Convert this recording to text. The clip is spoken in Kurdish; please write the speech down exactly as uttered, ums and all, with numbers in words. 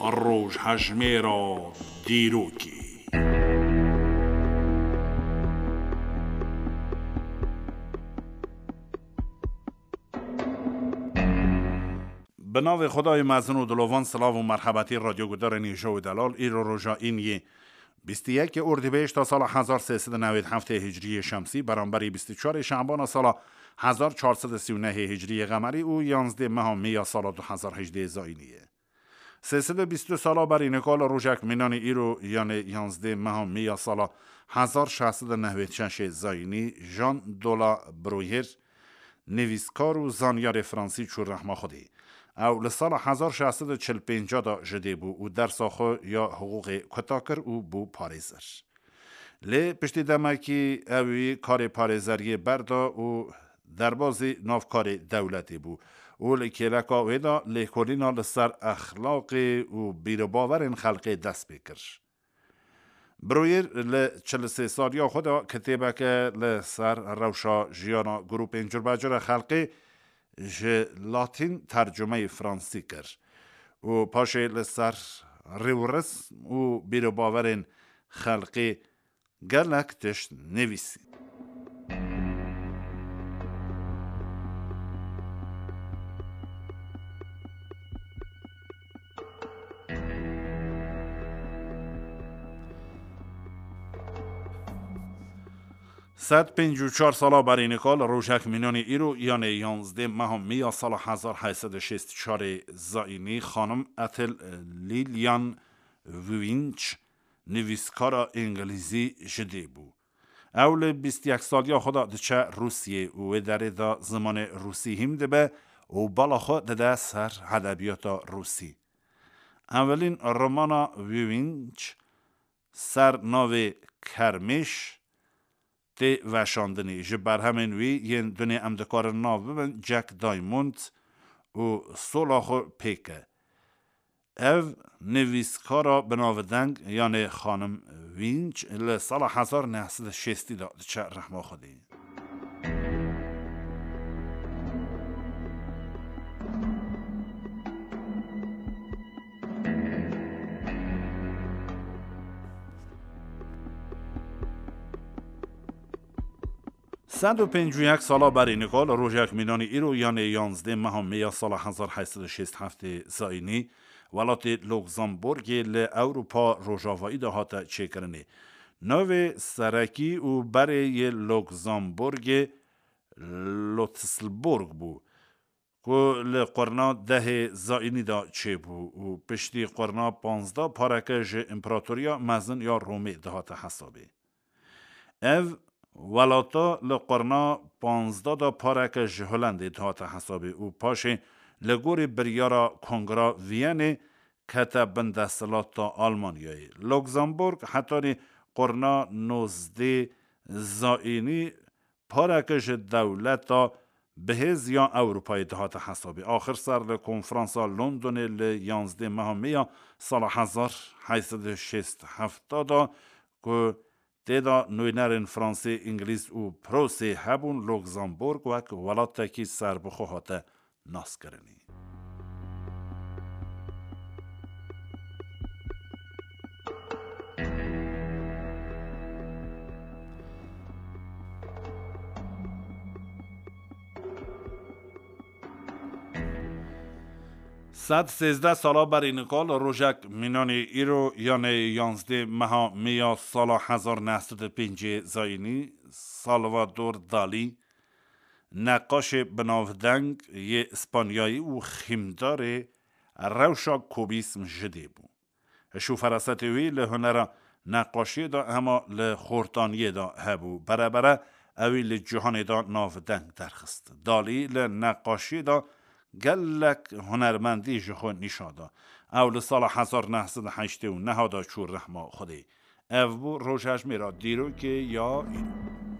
Rojhejmêra dîrokê. Bi navê Xwedayê mezin û dilovan, silav û merhebetî radyogudarên hêja û delal. Îro roja îniyê bîst û yekê Ordîbehişta sala hezar sê sed û newêd heftê hicriyê şemsî, beramberî bîst û çarê Şebana sala hezar çar sed û sî û nehê hicriyê qemerî û yanzdê meha Mê ya sala du hezar hejdê zayînî ye. Sê sed û bîst û du sala berî nika li rojek mînanî îro, yanê yanzdê meha Mê ya sala hezar şeş sed û newêd şeşê zayînî, Jean de La Bruyère, nivîskar û zanyarê fransî çû rehma Xwedê. Ew li sala hezar şeş sed û çil pênc de ji dê bû û dersa xwe ya hiqûqê kuta kir û bû parêzer. Lê piştî demekî ewî karê parêzeriyê berda û derbazî nav karê dewletê bû û li kêleka wê de lêkolîna li ser exlaqê û bîrbibawerên xelkê dest pê kir. Bruyère li çil û sê saliya xwe de kitêbeke li ser rewşa jiyana grûpên curbecure xelkê ji latîn tercumeyî fransî kir û paşê li ser rêwresm û bîrbibawerên xelkê gelek tişt nivîsî. Sed pêncî û çar sala berî nika li rojek mînanî îro, yanê yanzdê meha Mê ya sala hezar heyt sed û şêst û çarê zayînî, xanim Ethel Lillian Winch, nivîskara îngilîzî ji dê bû. Ew li bîst û yek saliya xwe de diçe Rûsiyê û wê derê de zimanê rûsî hîm dibe û bala xwe dide ser edebiyata rûsî. Evelîn romana Winch ser navê Kermêş tê veşandinê. Ji berhemên wî yên dunê em dikarin nav bibin Jack Diamond û Sola xwe pêke. Ev nivîskara binavdeng, yanê xanim Winch, li sala hezar neh sed û şêstî de diçe rehma Xwedê. Sed û pêncî û yek sala berî nika li rojek mînanî îro, yanê yanzdê meha Mê ya sala hezar heyt sed û şêst heftê zayînî, welatê Luxemburgê li Ewropa Rojavayî de hate çêkirinê. Navê serekî û berê yê Luxemburgê Lotisburg bû, ku li qurna dehê zayînî de çêbû û piştî qurna panzdeh pareke ji împeratoriya mezin ya Romê dihate hesabê. Ev welata li qurna panzdeh de pareke ji Holendê dihate hesabê û paşê li gorî biryara Kongra Viyenê kete bin desthilata Almanyayê. Luxemburg hetanî qurna nozdê zayînî pareke ji dewleta bihêz ya Ewropayê dihate hesabê. Axir ser li konferansa Londonê li yanzdê meha Mê ya sala hezar heyt sed û şêst hefta de, ku tê de nûnerên Fransê, Îngilîz û Prusê hebûn, Luxemburg wek welatekî serbixwe hate naskirinê. Sed sêzdeh sala berî nika li rojek mînanî îro, yanê yanzdê meha Mê ya sala hezar neh sed û pêncê zayînî, Salvador Dalî, neqaşê binavdeng yê Îspanyayî û xîmdarê rewşa kubîsm ji dê bû. Hişk û ferasetê wî li hunera neqaşiyê de hema li xortaniyê de hebû. Berebere ewî li cîhanê de navdeng derxist. Dalî li neqaşiyê de gelek hunermendî ji xwe nîşan da. Ew li sala hezar neh sed û heştê û neh de çû rehma Xwedê. Ev bû rojhejmêra dîrokê ya îro.